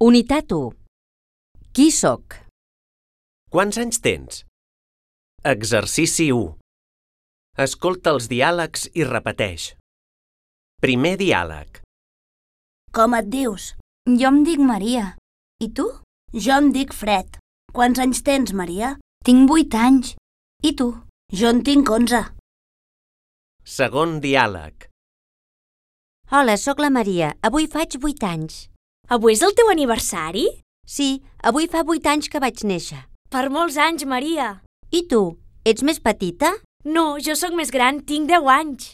Unitat 1. Qui sóc? Quants anys tens? Exercici 1. Escolta els diàlegs i repeteix. Primer diàleg. Com et dius? Jo em dic Maria. I tu? Jo em dic Fred. Quants anys tens, Maria? Tinc 8 anys. I tu? Jo en tinc 11. Segon diàleg. Hola, sóc la Maria. Avui faig 8 anys. Avui és el teu aniversari? Sí, avui fa 8 anys que vaig néixer. Per molts anys, Maria. I tu? Ets més petita? No, jo sóc més gran, tinc 10 anys.